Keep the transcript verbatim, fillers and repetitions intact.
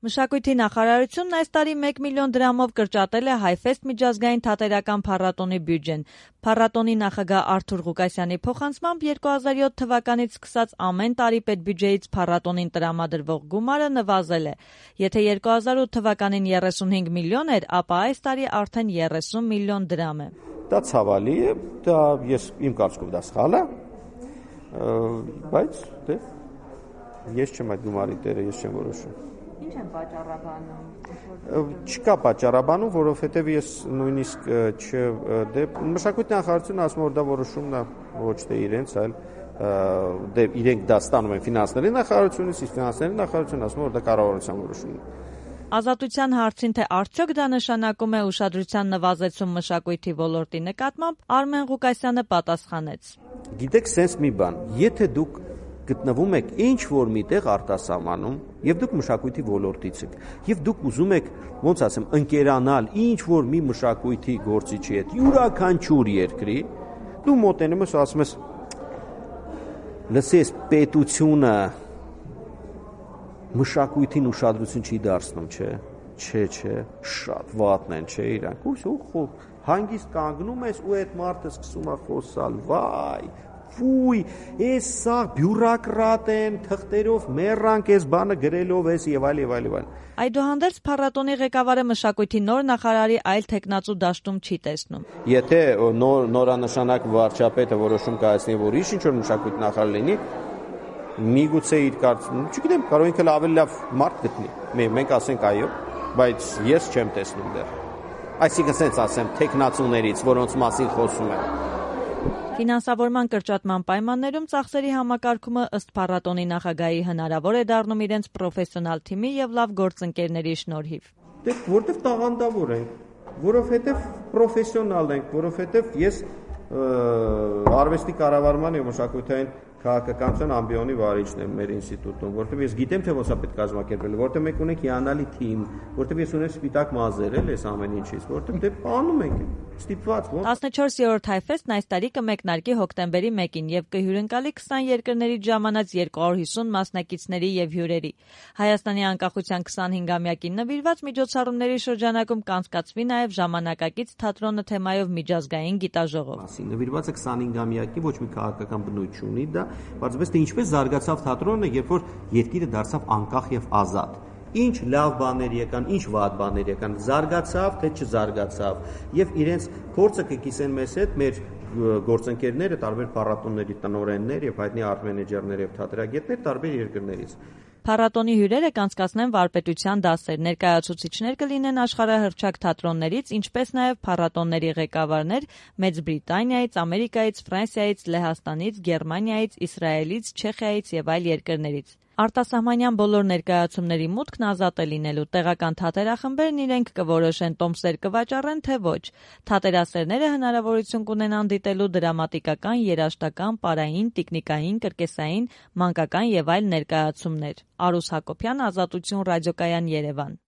Մշակույթի նախարարությունն այս տարի մեկ միլիոն դրամով կրճատել է Հայֆեսթ միջազգային թատերական փառատոնի բյուջեն։ Փառատոնի նախագահ Արթուր Ղուկասյանի փոխանցմամբ երկու հազար յոթ թվականից սկսած ամեն տարի պետբյուջեից փառատոնին տրամադրվող գումարը նվազել է։ Եթե երկու հազար ութ թվականին երեսունհինգ միլիոն էր, ապա այս տարի արդեն երեսուն միլիոն դրամ է։ Դա ցավալի է, դա ես իմ կարծիքով դա սխալ է, բայց դե ես չեմ այդ գումարի տերը, ես չեմ որոշում։ Ինչ են պատճառաբանում։ Չկա պատճառաբանում, որովհետև ես նույնիսկ չ դե մշակույթի նախարարությունը ասում է, որ դա որոշումն է ոչ թե իրենց, այլ դե իրենք դա ստանում են ֆինանսների նախարարությունից, իսկ ֆինանսների նախարարությունը ասում է, որ դա կառավարության որոշումն է։ Ազատության հարցին, թե արդյոք դա նշանակում է ուշադրության նվազեցում մշակույթի ոլորտի նկատմամբ, Արմեն Ղուկասյանը պատասխանեց. Գիտեք, սենց մի բան, եթե դուք գտնվում եք ինչ-որ միտեղ արտասահմանում եւ դուք մշակույթի ոլորտից եք եւ դուք ուզում եք ոնց ասեմ ընկերանալ ինչ-որ մի մշակույթի գործիչի հետ յուրաքանչյուր երկրի, դու մոտենում ես ու ասում ես լսես պետությունը մշակույթին ուշադրություն չի դարձնում, չէ, չէ, չէ, շատ վատն են, չէ, իրանք ու հանգիստ կանգնում ես ու այդ մարդը սկսում է խոսալ, վայ Ֆույ, ես սա բյուրոկրատ են, թղթերով մեռանք, ես բանը գրելով ես եւ այլ եւ այլ եւ այլ։ Այդուհանդերձ փառատոնի ղեկավարը մշակույթի նոր նախարարի այլ տեխնացու դաշտում չի տեսնում։ Եթե նոր նորանշանակ վարչապետը որոշում կայացնի, որ իշ ինչ որ մշակույթի նախարար լինի, միգուցե իր կարծիքով, չգիտեմ, կարող ինքը ավելի լավ մարդ գտնի։ Մենք ասենք այո, բայց ես չեմ տեսնում դեռ։ Այսինքն ասենց ասեմ, տեխնացուներից, որոնց մասին խոսում եմ։ Ֆինանսավորման կրճատման պայմաններում ծախսերի համակարգումը ըստ փառատոնի նախագահի հնարավոր է դառնում իրենց պրոֆեսիոնալ թիմի եւ լավ գործընկերների շնորհիվ։ Դե որտեվ տաղանդավոր ենք, որովհետեւ պրոֆեսիոնալ ենք, որովհետեւ ես արվեստի կառավարման եւ մշակութային քաղաքականության ամբիոնի վարիչն եմ մեր ինստիտուտում, որտեղ ես գիտեմ թե ոնց է պետք կազմակերպել, որտեղ մենք ունենք հիանալի թիմ, որտեղ ես ունեմ սպիտակ մազեր էլ այս ամեն ինչից, որտեղ դե անում ենք ստիպված ոնց։ տասնչորսերորդ Հայֆեսթն այս տարի կմեկնարկի հոկտեմբերի մեկին եւ կհյուրընկալի քսան երկրներից ժամանած երկու հարյուր հիսուն մասնակիցների եւ հյուրերի։ Հայաստանի անկախության քսանհինգամյակին նվիրված միջոցառումների շրջանակում կանցկացվի նաեւ ժամանակակից թատրոնը թեմայով միջազգային գիտաժողով։ Նվիրված է քսանհինգամյակի, ոչ մի քաղաքական բնույթ չունի դա, բայց թե ինչպես զարգացավ թատրոնը, երբ որ երկիրը դարձավ անկախ եւ ազատ։ Ինչ լավ բաներ եկան, ինչ վատ բաներ եկան, զարգացավ, թե չզարգացավ, եւ իրենց փորձը կկիսեն մեզ հետ մեր գործընկերները, տարբեր փառատոնների տնօրեններ եւ հայտնի արտ-մենեջերներ եւ թատերագետներ տարբեր երկրներից։ Փառատոնի հյուրերը կանցկացնեն վարպետության դասեր, ներկայացուցիչներ կլինեն աշխարհահռչակ թատրոններից, ինչպես նաև փառատոնների ղեկավարներ Մեծ Բրիտանիայից, Ամերիկայից, Ֆրանսիայից, Լեհաստանից, Գերմանիայից, Իսրայելից, Չեխիայից եւ այլ երկրներից։ Արտասահմանյան բոլոր ներկայացումների մուտքն ազատ է լինելու, տեղական թատերախմբերն իրենք կորոշեն տոմսեր կվաճառեն, թե ոչ։ Թատերասերները հնարավորություն կունենան դիտելու դրամատիկական, երաժշտական, պարային, տիկնիկային, կրկեսային, մանկական եւ այլ ներկայացումներ։ Արուս Հակոբյան, Ազատություն ռադիոկայան, Երևան։